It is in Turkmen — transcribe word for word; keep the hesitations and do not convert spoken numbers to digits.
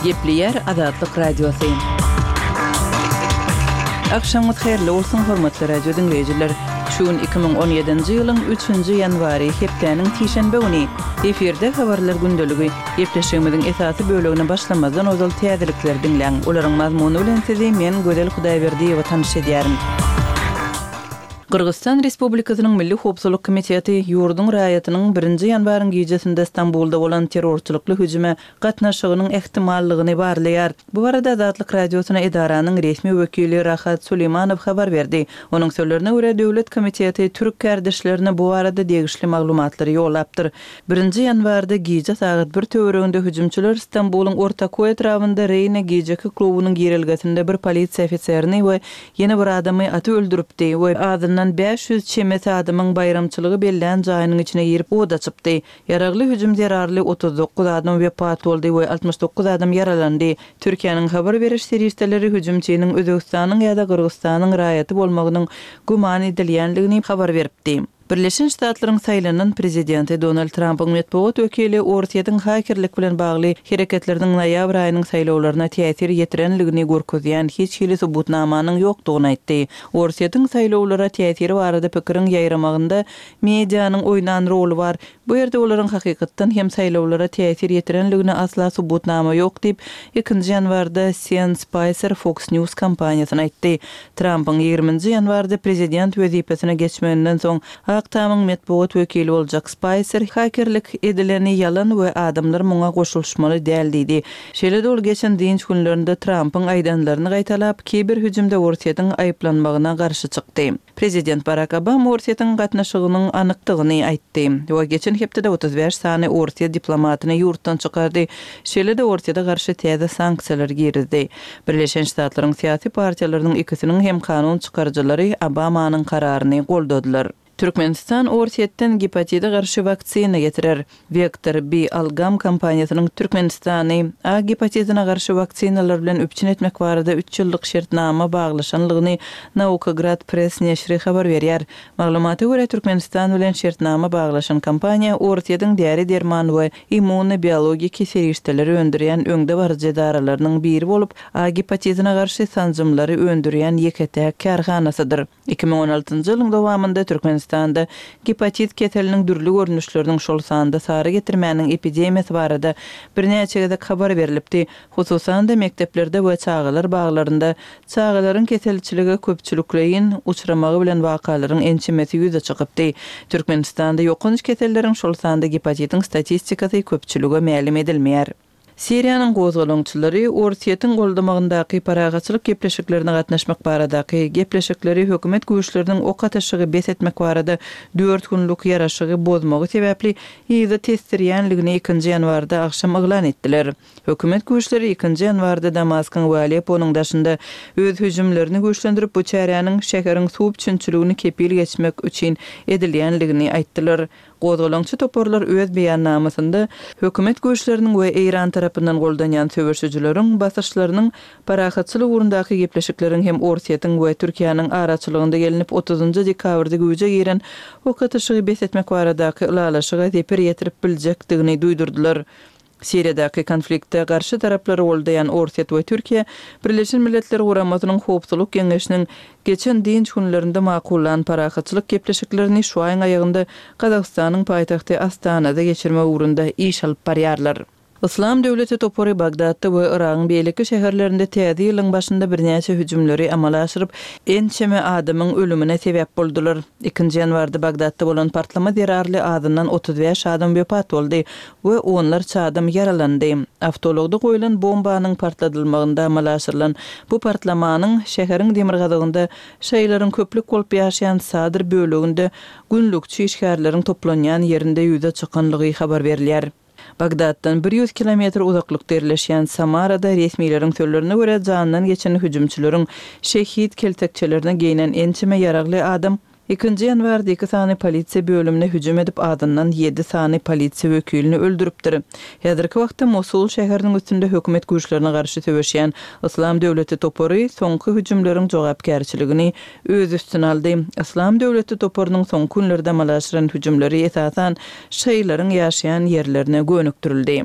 Gepleýär Azatlyk Radiosy. Agşamyňyz haýyrly bolsun, hormatly radio diňleýjiler! Şu gün iki müň on ýedinji ýylyň üçünji ýanwary, hepdäniň sişenbe güni. Efirde Habarlar gündeligi. Gepleşigimiziň esasy bölegine başlamazdan ozal täzelikleri diňläň. Olaryň mazmuny bilen sizi men, Gözel Hudaýberdiýewa tanyş edýärin. Gyrgyzystan Respublikasynyň Milli howpsuzlyk komiteti ýurduň raýatynyň birinji ýanwaryň gijesinde Stambulda bolan terrorçylykly hüjüme gatnaşygynyň ähtimallygyny barlaýar. Bu barada Azatlyk Radiosyna edaranyň resmi wekili Rahat Suleýmanow habar berdi. Onuň sözlerine görä, döwlet komiteti türk kärdeşlerine bu barada degişli maglumatlary ýollapdyr. Birinji ýanwarda gije sagat bir töwereginde hüjümçiler Stambulyň Ortakoý etrabynda Reýna gijeki klubunyň girelgesinde bir polisiýa ofiserini we ýene bir adamy atyp öldüripdi we azyndan bäş ýüz çemesi adamyň baýramçylygy bellän jaýynyň içine girip od açypdy. Ýaragly hüjüm zerarly otuz dokuz adam wepat boldy we altmyş dokuz adam ýaralandy. Türkiýäniň habar beriş serişdeleri hüjümçiniň Özbegistanyň ýa-da Gyrgyzystanyň raýaty bolmagynyň güman edilýändigini habar beripdi. Birleşen Ştatlaryň saýlanan prezidenti Donald Trampyň metbugat wekili Orsýetiň hakerlik bilen bagly hereketleriniň noýabr aýynyň saýlawlaryna täsir ýetirenligini görkezýän hiç hili subutnamanyň ýokdugyny aýtdy. Orsýetiň saýlawlara täsiri barada pikiriň ýaýramagynda medianyň oýnan roly bar. Bu ýerde olaryň hakykatdan hem saýlawlara täsir ýetirenligine asla subutnama ýok diýip, ikinji ýanwarda Sean Spicer Fox News kompaniýasyna aýtdy. Trampyň ýigriminji ýanwarda prezident wezipesine geçmeginden soň Ak Tamyň metbugat wekili boljak Spaýser hakerlik edileni ýalan we adamlar muňa goşulyşmaly däl diýdi. Şeýle-de ol geçen dynç günlerinde Trampyň aýdanlaryny gaýtalap, kiber hüjümde Orsýetiň aýyplanmagyna garşy çykdy. Prezident Barak Obama Orsýetiň gatnaşygynyň anykdygyny aýtdy we geçen hepdede otuz bäş sany orsýet diplomatyny ýurtdan çykardy, şeýle-de Orsýete garşy täze sanksiýalary girizdi. Birleşen Ştatlaryň syýasy partiýalarynyň ikisiniň hem kanun çykaryjylary Obamanyň kararyny goldadylar. Türkmenistan Orsýetden gepatide garşy waksina getirer. Wektor B Algam kompaniýasynyň Türkmenistany A gepatidine garşy waksinalar bilen üpjün etmek barada üç ýyllyk şertnama baglaşanlygyny Naukograd Press neşiri habar berýär. Maglumata görä, Türkmenistan bilen şertnama baglaşan kompaniýa Orsýetiň däri-derman we immunobiologiki serişdeleri öndürýän öňdebaryjy edaralarynyň biri bolup, A gepatidine garşy sanjymlary öndürýän ýeke-täk kärhanasydyr. Iki müň on altynjy ýylyň dowamynda Türkmenistanda gepatit keseliniň dürli görnüşleriniň, şol sanda sary getirmäniň epidemiýasy barada birnäçe gezek habar berlipdi. Hususan-da, mekdeplerde we çagalar baglarynda çagalaryň keselçilige köpçülikleýin uçramagy bilen wakalaryň ençemesi ýüze çykypdy. Türkmenistanda ýokanç keselleriň, şol sanda gepatitiň statistikasy köpçülige mälim edilmeýär. Siriýanyň gozgalaňçylary Orsýetiň goldamagyndaky parahatçylyk gepleşiklerine gatnaşmak baradaky gepleşikleri hökümet güýçleriniň ok atyşygy bes etmek barada dört günlük ýaraşygy bozmagy sebäpli yza tesdirýänligini ikinji ýanwarda agşam yglan etdiler. Hökümet güýçleri ikinji ýanwarda Damaskyň we Alepponyň daşynda öz hüjümlerini güýçlendirip, bu çäräniň şäheriň suw üpjünçiligini kepil geçmek üçin edilýänligini aýtdylar. Gozgalaňçy toparlar öz beýannamasynda hökümet güýçleriniň we Eýran tarapyndan goldanýan söweşijileriň basyşlarynyň parahatçylyk ugrundaky gepleşikleriň hem Orsýetiň we Türkiýäniň araçylygynda gelnip otuzynjy dekabrda güýje giren ok atyşygy bes etmek baradaky ylalaşyga zeper ýetirip biljekdigini duýdurdylar. Siriýadaky konfliktde garşy taraplary goldaýan Orsýet we Türkiýe Birleşen Milletler Guramasynyň Howpsuzlyk Geňeşiniň geçen dynç günlerinde makullan parahatçylyk gepleşiklerini şu aýyň aýagynda Gazagystanyň paýtagty Astanada geçirmek ugrunda iş alyp barýarlar. Yslam döwleti topary Bagdatda we Yragyň beýleki şäherlerinde täze ýylyň başynda birnäçe hüjümleri amala aşyryp, ençeme adamyň ölümine sebäp boldular. Ikinji ýanwarda Bagdatda bolan partlama zerarly azyndan otuz bäş adam wepat boldy we onlarça adam ýaralandy. Awtoulagda goýlan bombanyň partladylmagynda amala aşyrylan bu partlamanyň şäheriň demirgazygynda şaýylaryň köplük bolup ýaşaýan Sadr böleginde günlükçi işgärleriň toplanýan ýerinde ýüze çykanlygy habar berilýär. Bagdatdan bir ýüz kilometr uzaklykda ýerleşýän Samarada resmileriň sözlerine görä jandan geçen hüjümçileriň şehit keltekçelerini geýnen ençeme ýaragly adam ikinji ýanwarda iki sany polisiýa bölümine hüjüm edip azyndan ýedi sany polisiýa wekilini öldüripdir. Häzirki wagtda Mosul şäheriniň üstünde hökümet güýçlerine garşy söweşýän Yslam döwleti topary soňky hüjümleriň jogapkärçiligini öz üstüne aldy. Yslam döwleti toparynyň soňky günlerde amala aşyran hüjümleri esasan şaýylaryň ýaşaýan ýerlerine gönükdirildi.